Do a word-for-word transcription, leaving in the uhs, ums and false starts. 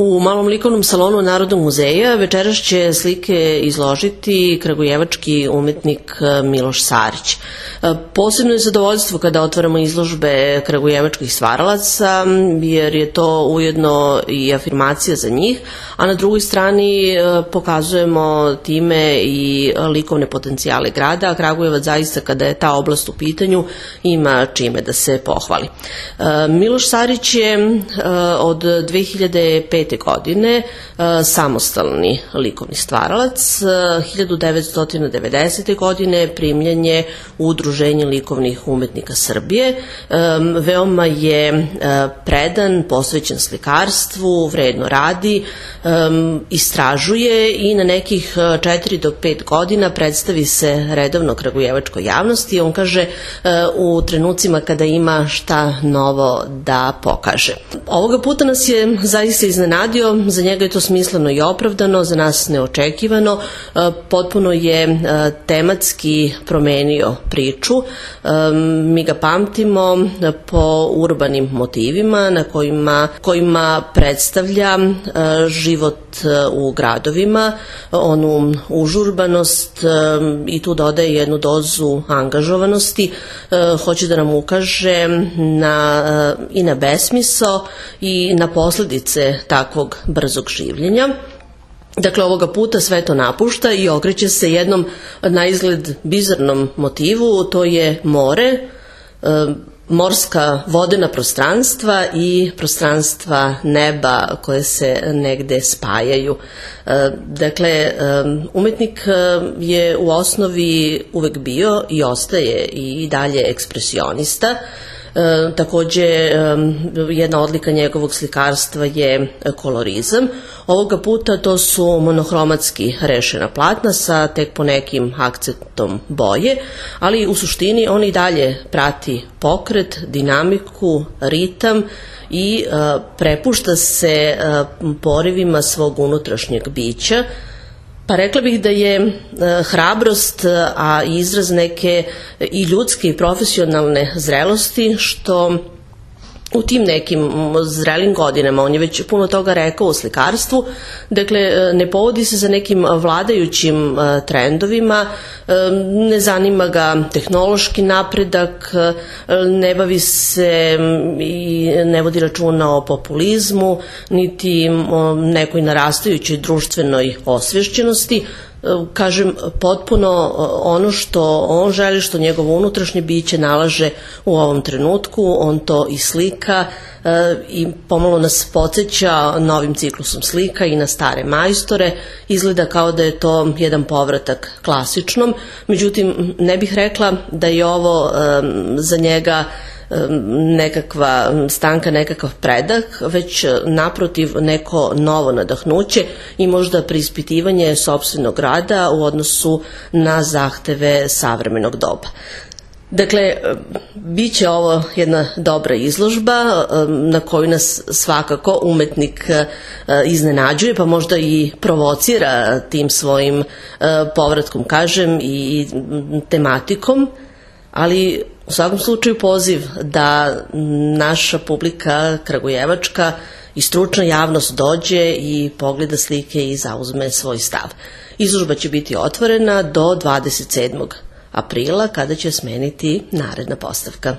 U Malom likovnom salonu Narodnog muzeja večeras će slike izložiti kragujevački umetnik Miloš Sarić. Posebno je zadovoljstvo kada otvaramo izložbe kragujevačkih stvaralaca, jer je to ujedno i afirmacija za njih, a na drugoj strani pokazujemo time i likovne potencijale grada, a Kragujevac zaista kada je ta oblast u pitanju ima čime da se pohvali. Miloš Sarić je od dve hiljade pete godine samostalni likovni stvaralac. hiljadu devetsto devedesete. godine primljen je u Udruženje likovnih umetnika Srbije. Veoma je predan, posvećen slikarstvu, vredno radi, istražuje i na nekih četiri do pet godina predstavi se redovno kragujevačkoj javnosti. On kaže u trenucima kada ima šta novo da pokaže. Ovoga puta nas je zaista iznenadio, za njega je to smisleno i opravdano, za nas neočekivano, potpuno je tematski promenio priču. Mi ga pamtimo po urbanim motivima na kojima, kojima predstavlja život u gradovima, onu užurbanost i tu dodaje jednu dozu angažovanosti. Hoće da nam ukaže na, i na besmisao i na posledice takvog brzog življenja. Dakle, ovoga puta sve to napušta i okreće se jednom na izgled bizarnom motivu, to je more, morska vodena prostranstva i prostranstva neba koje se negde spajaju. Dakle, umetnik je u osnovi uvek bio i ostaje i dalje ekspresionista. E, takođe, e, jedna odlika njegovog slikarstva je kolorizam. Ovoga puta to su monohromatski rešena platna sa tek ponekim akcentom boje, ali u suštini on i dalje prati pokret, dinamiku, ritam i e, prepušta se e, porivima svog unutrašnjeg bića. Pa rekla bih da je hrabrost, a izraz neke i ljudske i profesionalne zrelosti, što u tim nekim zrelim godinama, on je već puno toga rekao o slikarstvu, dakle ne povodi se za nekim vladajućim trendovima, ne zanima ga tehnološki napredak, ne bavi se i ne vodi računa o populizmu, niti o nekoj narastajućoj društvenoj osvešćenosti. Kažem, potpuno ono što on želi, što njegovo unutrašnje biće nalaže u ovom trenutku, on to i slika i pomalo nas podsjeća novim ciklusom slika i na stare majstore. Izgleda kao da je to jedan povratak klasičnom, međutim ne bih rekla da je ovo za njega nekakva stanka, nekakav predah, već naprotiv neko novo nadahnuće i možda preispitivanje sopstvenog rada u odnosu na zahteve savremenog doba. Dakle, bit će ovo jedna dobra izložba na koju nas svakako umetnik iznenađuje, pa možda i provocira tim svojim povratkom, kažem, i tematikom, ali u svakom slučaju poziv da naša publika kragujevačka i stručna javnost dođe i pogleda slike i zauzme svoj stav. Izložba će biti otvorena do dvadeset sedmog aprila kada će smeniti naredna postavka.